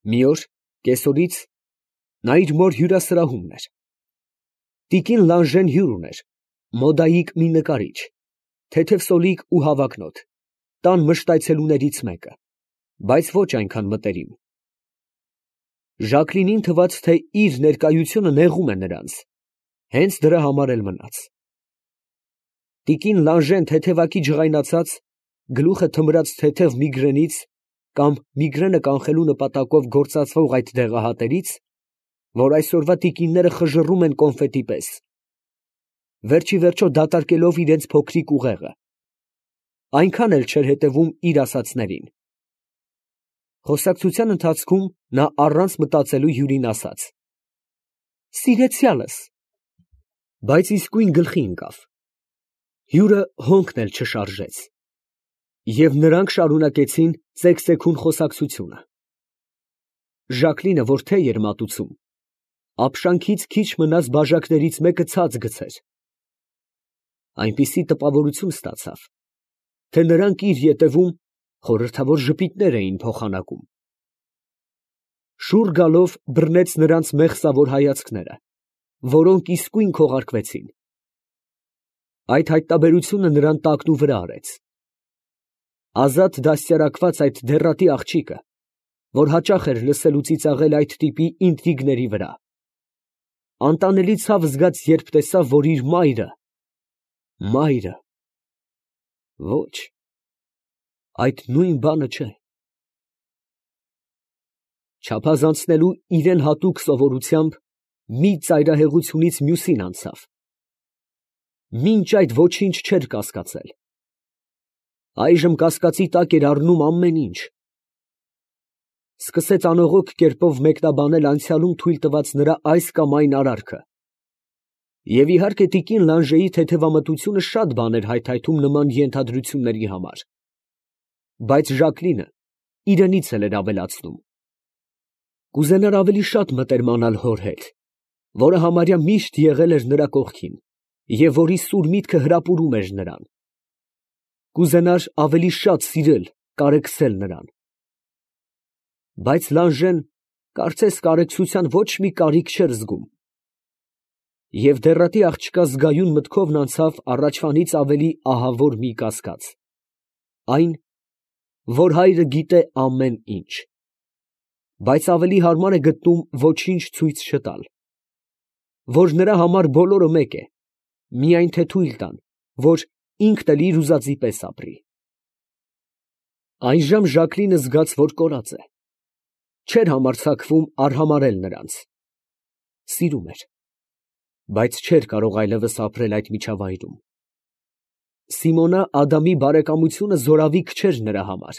Մի օր կեսօրից նա իր մոր հյուրասրահումն էր։ Տիկին Լանժեն հյուր ուներ, մոդայիկ մի նկարիչ, թեթև սոլիկ ու հավակնոտ, տան մշտայցելուներից մեկը, բայց ոչ այնքան մտերիմ։ Ժակլինին թվաց, թե իր ներկայությունը նեղում է նրանց, հենց դրա համար էլ մնաց։ Տիկին Լանժեն թեթևակի ջղայնացած, գլուխը թմրած թեթև միգրենից կամ միգրենը կանխելու նպատակով գործածվող այդ դեղահատերից, որ այսօրվա տիկինները խժռում են կոնֆետի պես, վերջի վերջո դատարկելով իրենց փոքրիկ ուղեղը, այնքան էլ չէր հետևում իր ասածներին։ Խոսակցության ընթացքում նա առանց մտածելու հյուրին ասաց. «Սիրեցյալս», բայց իսկույն գլխի ընկավ։ Հյուրը հոնքն էլ չշարժեց, և նրանք շարունակեցին ծեքծեքուն խոսակցությունը։ Ժակլինը, որ թեյ էր մատուցում, ապշանքից քիչ մնաց բաժակներից մեկը ցած գցեր։ Այնպիսի տպավորություն ստացավ, թե նրանք իր ետևում խորհրդավոր ժպիտներ էին փոխանակում։ Շուռ գալով բռնեց նրանց մեղսավոր հայացքները, որոնք իսկույն քողարկվեցին։ Այդ հայտնաբերությունը նրան տակնուվրա արեց։ Ազատ դաստիարակված այդ դեռատի աղջիկը, որ հաճախ էր լսելու ծիծաղել այդ տիպի ինտրիգների վրա, անտանելի ցավ զգաց, երբ տեսավ, որ իր մայրը… Ոչ, այդ նույն բանը չէ։ Չափազանցնելու իրան հատուկ սովորությամբ մի ծայրահեղությունից մյուսին անցավ։ Մինչ այդ ոչինչ չէր կասկածել։ Այժմ կասկածի տակ էր առնում ամեն ինչ։ Սկսեց անողոք կերպով մեկնաբանել անցյալում թույլ տված նրա այս կամ այն արարքը, և իհարկե տիկին Լանժեի թեթևամտությունը շատ բան էր հայթայթում նման ենթադրությունների համար, բայց Ժակլինը իրենից էլ էր ավելացնում։ Կուզենար ավելի շատ մտերմանալ հոր հետ, որը համարյա միշտ եղել էր նրա կողքին և որի սուր միտքը հրապուրում էր նրան։ Կուզենար ավելի շատ սիրել, կարեկցել նրան։ Բայց Լանժեն կարծես կարեկցության ոչ մի կարիք չէր զգում, և դեռատի աղջկա զգայուն մտքովն անցավ առաջվանից ավելի ահավոր մի կասկած, այն, որ հայրը գիտե ամեն ինչ, բայց ավելի հարմար է գտնում ոչինչ ցույց չտալ, որ նրա համար բոլորը մեկ է, միայն թե թույլ տան, որ ինքն էլ իր ուզածի պես ապրի։ Այժմ Ժակլինը զգաց, որ կորած է, չէր համարձակվում արհամարհել նրանց։ Սիրում էր, բայց չէր կարող այլևս ապրել այդ միջավայրում։ Սիմոնա Ադամի բարեկամությունը զորավիք չէր նրա համար։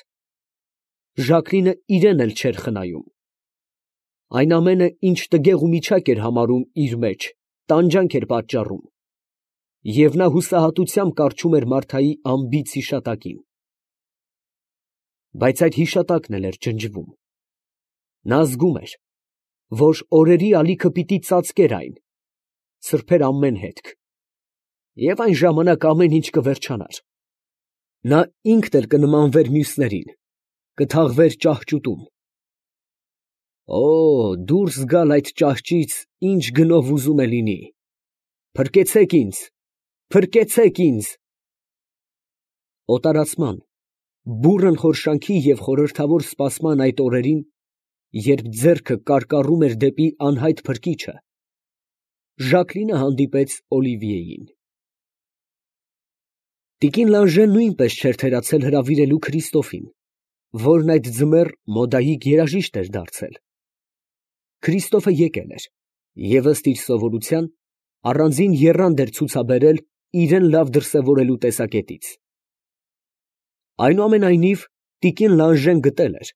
Ժակլինը իրեն էլ չէր խնայում։ Այն ամենը, ինչ տգեղ ու միչակ էր համարում իր մեջ, տանջանք էր պատճառում, և նա հուսահատությամբ կառչում էր Մարթայի անբիծ հիշատակին։ Բայց այդ հիշատակն էլ էր ջնջվում։ Նա զգում էր, որ օրերի ալիքը պիտի ծածկեր այն, սրբեր ամեն հետք, և այն ժամանակ ամեն ինչ կվերջանար։ Նա ինքն էլ կնմանվեր մյուսներին, կթաղվեր ճահճուտում։ Օ, դուրս գալ այդ ճահճից ինչ գնով ուզում է լինի… Փրկեցե՛ք ինձ… Փրկեցե՛ք ինձ… Օտարացման, բուռն խորշանքի և խորհրդավոր սպասման այդ օրերին, երբ ձեռքը կարկառում էր դեպի անհայտ փրկիչը, Ժակլինը հանդիպեց Օլիվիեին։ Տիկին Լանժեն նույնպես չէր թերացել հրավիրելու Քրիստոֆին, որն այդ ձմեռ մոդայիկ երաժիշտ էր դարձել։ Քրիստոֆը եկել էր և ըստ իր սովորության առանձին եռանդ էր ցուցաբերել իրան լավ դրսևորելու տեսակետից։ Այնուամենայնիվ, տիկին Լանժեն գտել էր,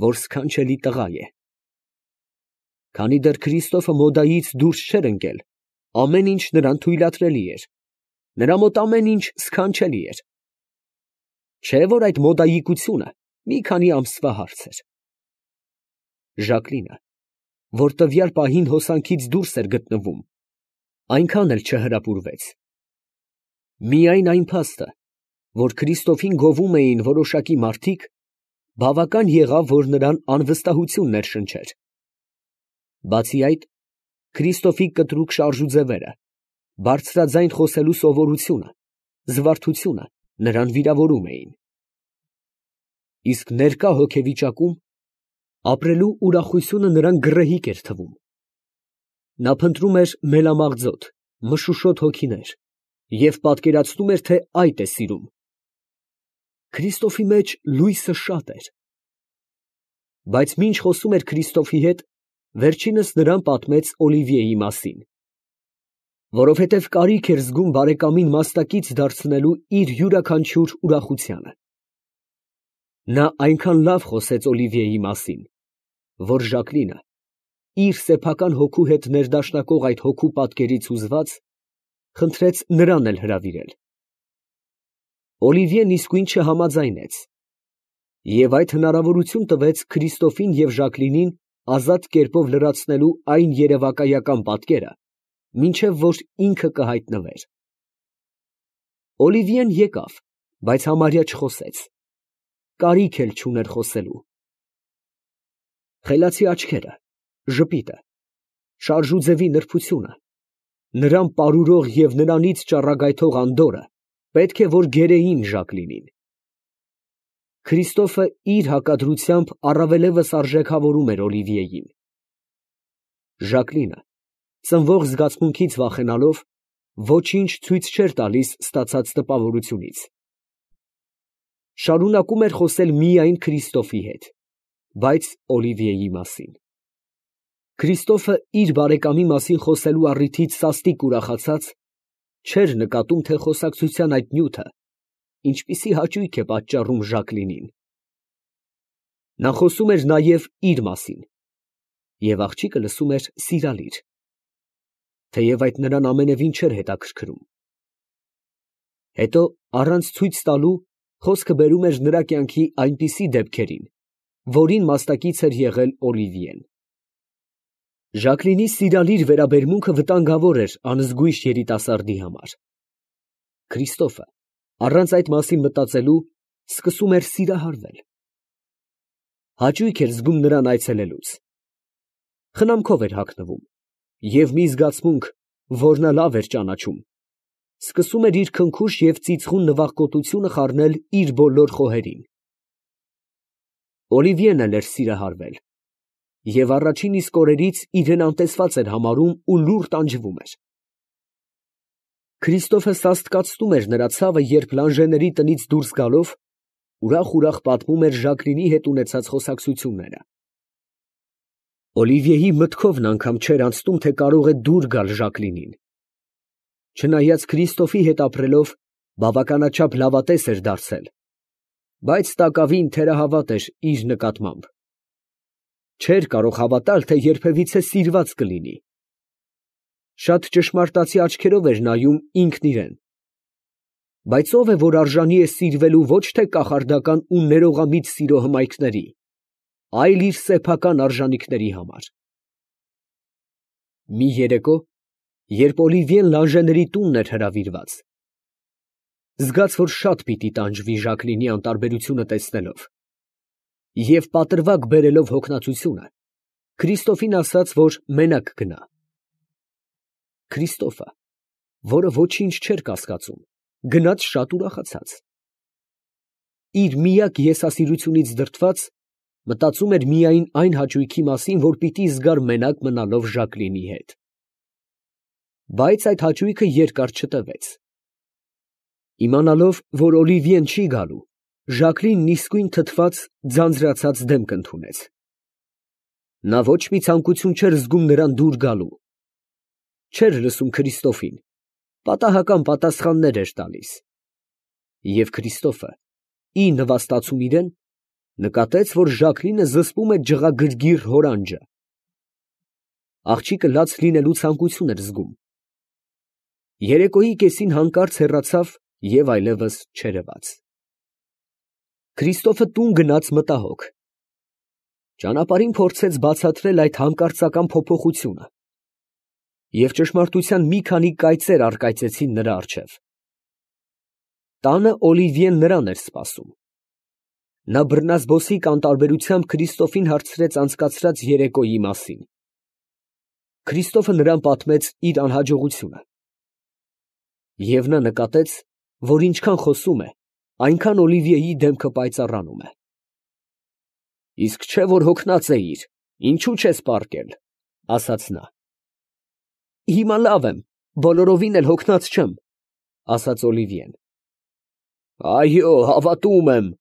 որ սքանչելի տղա է։ Քանի դեռ Քրիստոֆը մոդայից դուրս չէր ընկել, ամեն ինչ նրան թույլատրելի էր, նրա մոտ ամեն ինչ սքանչելի էր։ Չէ՞ որ այդ մոդայիկությունը մի քանի ամսվա հարց էր։ Ժակլինը, որ տվյալ պահին հոսանքից դուրս էր գտնվում, այնքան էլ չհրապուրվեց։ Միայն այն փաստը, որ Քրիստոֆին գովում էին որոշակի մարդիկ, Բավական եղավ, որ նրան անվստահություն ներշնչեր։ Բացի այդ, Քրիստոֆի կտրուկ շարժուձևերը, բարձրաձայն խոսելու սովորությունը, զվարթությունը նրան վիրավորում էին։ Իսկ ներկա հոգեվիճակում ապրելու ուրախությունը նրան գռեհիկ էր թվում։ Նա փնտրում էր մելամաղձոտ, մշուշոտ հոգիներ և պատկերացնում էր, թե այդ է սիրում։ Քրիստոֆի մեջ լույսը շատ էր։ Բայց մինչ խոսում էր Քրիստոֆի հետ, վերջինս նրան պատմեց Օլիվիեի մասին, որովհետև կարիք էր զգում բարեկամին մասնակից դարձնելու իր յուրաքանչյուր ուրախությանը։ Նա այնքան լավ խոսեց Օլիվիեի մասին, որ Ժակլինը, իր սեփական հոգու հետ ներդաշնակող այդ հոգու պատկերից հուզված, խնդրեց նրան էլ հրավիրել։ Օլիվիեն իսկույն չհամաձայնեց և այդ հնարավորություն տվեց Քրիստոֆին և Ժակլինին ազատ կերպով լրացնելու այն երևակայական պատկերը, մինչև որ ինքը կհայտնվեր։ Օլիվիեն եկավ, բայց համարյա չխոսեց, կարիք էլ չուներ խոսելու։ Խելացի աչքերը, ժպիտը, շարժուձևի նրբությունը, նրան պարուրող և նրանից ճառագայթող անդորրը պետք է որ գերեին Ժակլինին։ Քրիստոֆը իր հակադրությամբ առավելևս արժեքավորում էր Օլիվիեին։ Ժակլինը, ծնվող զգացմունքից վախենալով, ոչինչ ցույց չէր տալիս ստացած տպավորությունից։ Շարունակում էր խոսել միայն Քրիստոֆի հետ, բայց Օլիվիեի մասին։ Քրիստոֆը իր բարեկամի մասին խոսելու առիթից սաստիկ ուրախացած, չէր նկատում, թե խոսակցության այդ նյութը ինչպիսի հաճույք է պատճառում Ժակլինին։ Նա խոսում էր նաև իր մասին, և աղջիկը լսում էր սիրալիր, թեև այդ նրան ամենևին չէր հետաքրքրում։ Հետո, առանց ցույց տալու, խոսքը բերում էր նրա կյանքի այնպիսի դեպքերին, որին մասնակից էր եղել Օլիվիեն։ Ժակլինի սիրալիր վերաբերմունքը վտանգավոր էր անզգույշ երիտասարդի համար։ Քրիստոֆը, առանց այդ մասին մտածելու, սկսում էր սիրահարվել։ Հաճույք էր զգում նրան այցելելուց։ Խնամքով էր հագնվում, և մի զգացմունք, որ նա լավ էր ճանաչում, սկսում էր իր քնքուշ և ծիծխուն նվախկոտությունը խառնել իր բոլոր խոհերին։ Օլիվիեն էլ էր սիրահարվել և առաջին իսկ օրերից իրեն անտեսված էր համարում ու լուռ տանջվում էր։ Քրիստոֆը սաստկացնում էր նրա ցավը, երբ Լանժեների տնից դուրս գալով, ուրախ պատմում էր Ժակլինի հետ ունեցած խոսակցությունները։ Օլիվիեի մտքովն անգամ չէր անցնում, թե կարող է դուր գալ Ժակլինին։ Չնայած Քրիստոֆի հետ ապրելով, բավականաչափ լավատես էր դարձել, բայց տակավին թերահավատ էր իր նկատմամբ։ Չէր կարող հավատալ, թե երբևիցե սիրված կլինի։ Շատ ճշմարտացի աչքերով էր նայում ինքն իրեն։ Բայց ո՞վ է, որ արժանի է սիրվելու ոչ թե կախարդական ու ներողամիտ սիրո հմայքների, այլ իր սեփական արժանիքների համար։ Մի երեկո, երբ Օլիվիեն Լանժեների տունն էր հրավիրված, զգաց, որ շատ պիտի տանջվի Ժակլինի անտարբերությունը տեսնելով, և պատրվակ բերելով հոգնածությունը, Քրիստոֆին ասաց, որ մենակ գնա։ Քրիստոֆը, որը ոչինչ չէր կասկածում, գնաց շատ ուրախացած։ Իր միակ եսասիրությունից դրդված, մտածում էր միայն այն հաճույքի մասին, որ պիտի զգար մենակ մնալով Ժակլինի հետ։ Բայց այդ հաճույքը երկար չտևեց։ Իմանալով, որ Օլիվիեն չի գալու, Ժակլինն իսկույն թթված, ձանձրացած դեմք ընդունեց։ Նա ոչ մի ցանկություն չէր զգում նրան դուր գալու, չէր լսում Քրիստոֆին, պատահական պատասխաններ էր տալիս։ Եվ Քրիստոֆը, ի նվաստացում իրեն, նկատեց, որ Ժակլինը զսպում է ջղագրգիռ հորանջը։ Աղջիկը լաց լինելու ցանկություն էր զգում։ Երեկոյի կեսին հանկարծ հեռացավ և այլևս չերևաց։ Քրիստոֆը տուն գնաց մտահոգ։ Ճանապարհին փորձեց բացատրել այդ հանկարծական փոփոխությունը, և ճշմարտության մի քանի կայծեր առկայծեցին նրա առջև։ Տանը Օլիվիեն նրան էր սպասում։ Նա բռնազբոսիկ անտարբերությամբ Քրիստոֆին հարցրեց անցկացրած երեկոյի մասին։ Քրիստոֆը նրան պատմեց իր անհաջողությունը։ Եվ նա նկատեց, որ ինչքան խոսում է, այնքան Օլիվիեի դեմքը պայծառանում է։ Իսկ չէ, որ հոգնած էիր, ինչու չես պառկել, ասաց նա։ Հիմա լավ եմ, բոլորովին էլ հոգնած չեմ, ասաց Օլիվիեն։ Այո, հավատում եմ,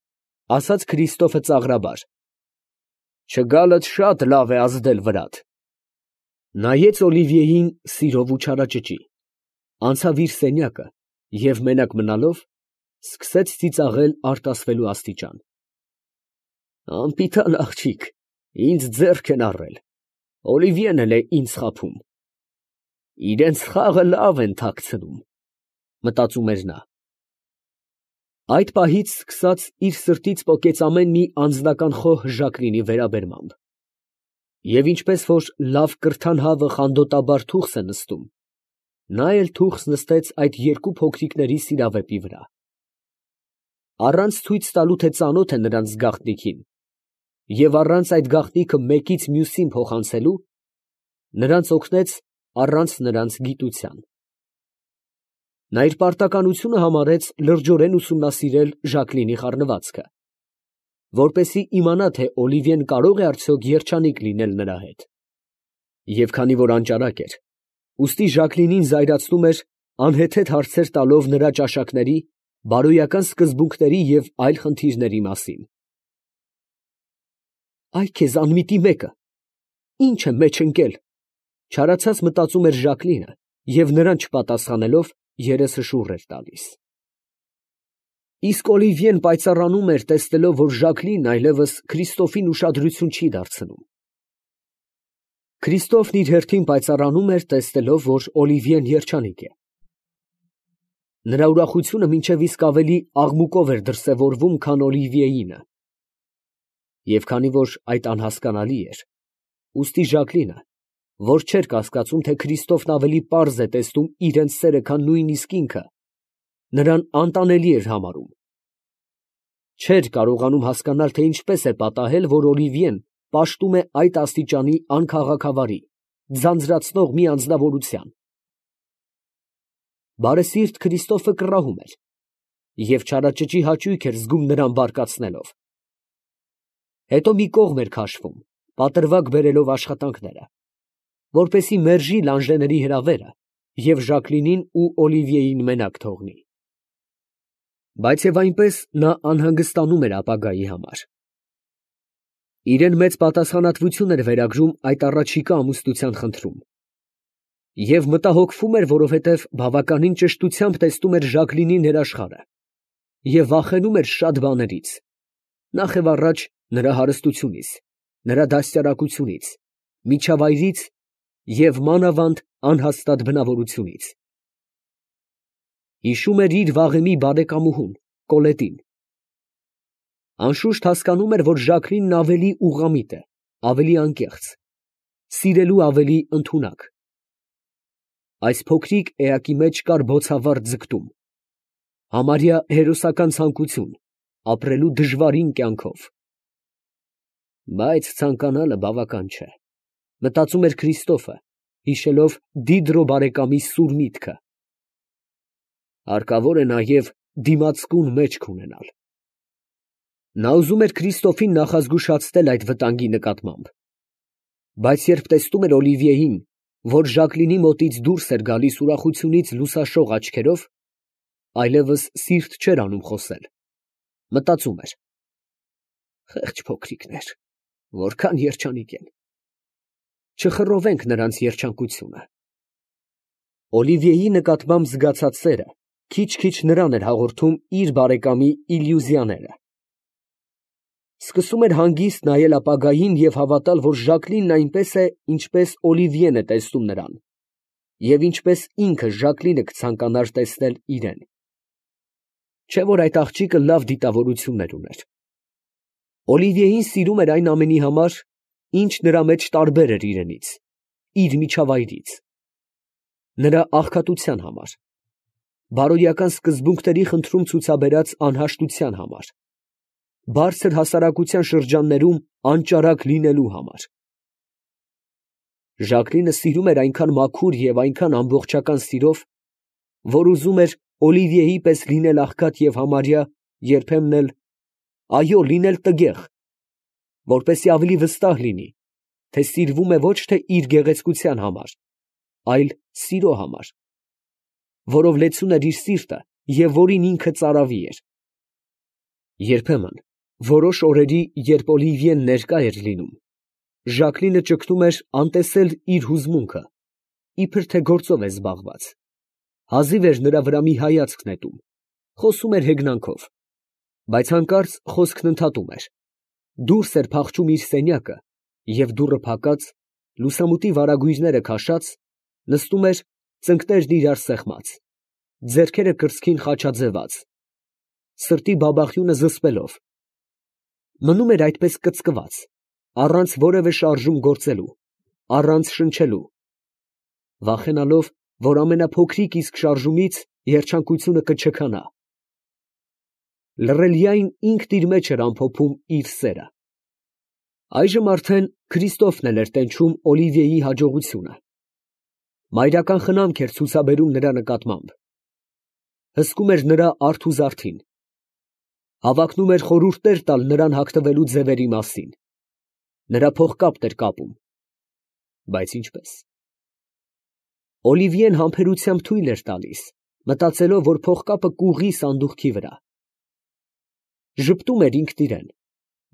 ասաց Քրիստոֆը ծաղրաբար։ Չգալդ շատ լավ է ազդել վրադ։ Նայեց Օլիվիեին սիրով ու չարաճճի, անցավ իր սենյակը և մենակ մնալով սկսեց ծիծաղել արտասվելու աստիճան։ Անպիտան աղջիկ, ինձ ձեռք են առել, Օլիվիեն էլ է ինձ խաբում։ Իրենց խաղը լավ են թաքցնում, մտածում էր նա։ Այդ պահից սկսած իր սրտից պոկեց ամեն մի անձնական խոհ Ժակլինի վերաբերմամբ։ Եվ ինչպես որ լավ կրթան հավը խանդոտաբար թուխս է նստում, նա էլ թուխս նստեց այդ երկու փոքրիկների սիրավեպի վրա։ Առանց ցույց տալու, թե ծանոթ է նրանց գաղտնիքին, և առանց այդ գաղտնիքը մեկից մյուսին փոխանցելու, նրանց օգնեց առանց նրանց գիտության։ Նա իր պարտականությունը համարեց լրջորեն ուսումնասիրել Ժակլինի խառնվածքը, որպեսզի իմանա, թե Օլիվիեն կարող է արդյոք երջանիկ լինել նրա հետ։ Եվ քանի որ անճարակ էր, ուստի Ժակլինին զայրացնում էր անհեթեթ հարցեր տալով նրա ճաշակների, բարոյական սկզբունքների և այլ խնդիրների մասին։ Այ քեզ անմիտի մեկը, ի՞նչ է մեջ ընկել, չարացած մտածում էր Ժակլինը և նրան չպատասխանելով երեսը շուռ էր տալիս։ Իսկ Օլիվիեն պայծառանում էր, տեսնելով, որ Ժակլինն այլևս Քրիստոֆին ուշադրություն չի դարձնում։ Քրիստոֆն իր հերթին պայծառանում էր, տեսնելով, որ Օլիվիեն երջանիկ է։ Նրա ուրախությունը մինչև իսկ ավելի աղմուկով էր դրսևորվում, քան Օլիվիեինը։ Եվ քանի որ այդ անհասկանալի էր, ուստի Ժակլինը, որ չէր կասկածում, թե Քրիստոֆն ավելի պարզ է տեսնում իրենց սերը, քան նույնիսկ ինքը, նրան անտանելի էր համարում։ Չէր կարողանում հասկանալ, թե ինչպես է պատահել, որ Օլիվիեն պաշտում է այդ աստիճանի անքաղաքավարի, ձանձրացնող մի անձնավորության։ Բարեսիրտ Քրիստոֆը կռահում էր և չարաճճի հաճույք էր զգում նրան բարկացնելով։ Հետո մի կողմ էր քաշվում, պատրվակ բերելով աշխատանքները, որպեսզի մերժի Լանժեների հրավերը և Ժակլինին ու Օլիվիեին մենակ թողնի։ Բայց և այնպես նա անհանգստանում էր ապագայի համար։ Իրեն մեծ պատասխանատվություն էր վերագրում այդ առաջիկա ամուսնության խնդրում։ Եվ մտահոգվում էր, որովհետև բավականին ճշտությամբ տեսնում էր Ժակլինի ներաշխարհը և վախենում էր շատ բաներից, նախ և առաջ նրա հարստությունից, նրա դաստիարակությունից, միջավայրից և մանավանդ անհաստատ բնավորությունից։ Հիշում էր իր վաղեմի բարեկամուհուն Կոլետին։ Անշուշտ հասկանում էր, որ Ժակլինն ավելի ուղղամիտ է, ավելի անկեղծ, սիրելու ավելի ընդունակ։ Այս փոքրիկ էակի մեջ կար բոցավառ ձգտում, համարյա հերոսական ցանկություն ապրելու դժվարին կյանքով։ Բայց ցանկանալը բավական չէ, մտածում էր Քրիստոֆը, հիշելով Դիդրո բարեկամի սուր միտքը։ Հարկավոր է նաև դիմացկուն մեջք ունենալ։ Նա ուզում էր Քրիստոֆին նախազգուշացնել այդ վտանգի նկատմամբ, բայց երբ տեսնում էր Օլիվիեին, որ Ժակլինի մոտից դուրս էր գալիս ուրախությունից լուսաշող աչքերով, այլևս սիրտ չէր անում խոսել, մտածում էր. խեղճ փոքրիկներ, որքան երջանիկ են, չխռովենք նրանց երջանկությունը։ Օլիվիեի նկատմամբ զգացած սերը քիչ-քիչ նրան էր հաղորդում իր բարեկամի իլյուզիաները։ Սկսում էր հանգիստ նայել ապագային և հավատալ, որ Ժակլինն այնպես է, ինչպես Օլիվիեն է տեսնում նրան, և ինչպես ինքը Ժակլինը կցանկանար տեսնել իրեն։ Չէ՞ որ այդ աղջիկը լավ դիտավորություններ ուներ։ Օլիվիեին սիրում էր այն ամենի համար, ինչ նրա մեջ տարբեր էր իրենից, իր միջավայրից, նրա աղքատության համար, բարոյական սկզբունքների խնդրում ցուցաբերած անհաշտության համար, բարձր հասարակության շրջաններում անճարակ լինելու համար։ Ժակլինը սիրում էր այնքան մաքուր և այնքան ամբողջական սիրով, որ ուզում էր Օլիվիեի պես լինել աղքատ և համարյա, երբեմն էլ, այո, լինել տգեղ, որպեսզի ավելի վստահ լինի, թե սիրվում է ոչ թե իր գեղեցկության համար, այլ սիրո համար, որով լեցուն էր իր սիրտը և որին ինքը ծարավի էր։ Երբեմն, որոշ օրերի, երբ Օլիվիեն ներկա էր լինում, Ժակլինը ճգնում էր անտեսել իր հուզմունքը, իբր թե գործով է զբաղված, հազիվ էր նրա վրա մի հայացք նետում, խոսում էր հեգնանքով, բայց հանկարծ խոսքն ընդհատում էր, դուրս էր փախչում իր սենյակը և դուռը փակած, լուսամուտի վարագույրները քաշած, նստում էր ծնկներն իրար սեղմած, ձեռքերը կրծքին խաչաձևած, սրտի բաբախյունը զսպելով, մնում էր այդպես կծկված, առանց որևէ շարժում գործելու, առանց շնչելու, վախենալով, որ ամենափոքրիկ իսկ շարժումից երջանկությունը կչքանա։ Լռելիայն ինքն իր մեջ էր ամփոփում իր սերը։ Այժմ արդեն Քրիստոֆն էր տենչում Օլիվիեի հաջողությունը։ Մայրական խնամք էր ցուցաբերում նրա նկատմամբ։ Հսկում էր նրա արթ ու զարդին։ Հավակնում էր խորհուրդներ տալ նրան հագնվելու ձևերի մասին։ Նրա փողկապն էր կապում։ Բայց ինչպես։ Օլիվիեն համբերությամբ թույլ էր տալիս, մտածելով, որ փողկապը կուղղի սանդուղքի վրա։ Ժպտում էր ինքն իրեն,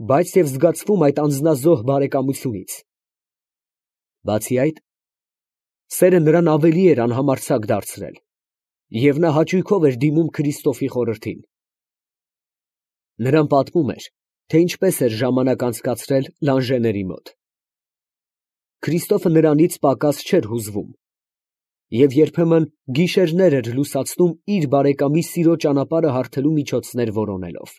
բայց և զգացվում այդ անձնազոհ բարեկամությունից։ Բացի այդ, սերը նրան ավելի էր անհամարձակ դարձրել, և նա հաճույքով էր դիմում Քրիստոֆի խորհրդին։ Նրան պատմում էր, թե ինչպես էր ժամանակ անցկացրել Լանժեների մոտ։ Քրիստոֆը նրանից պակաս չէր հուզվում և երբեմն գիշերներ էր լուսացնում իր բարեկամի սիրո ճանապարհը հարթելու միջոցներ որոնելով։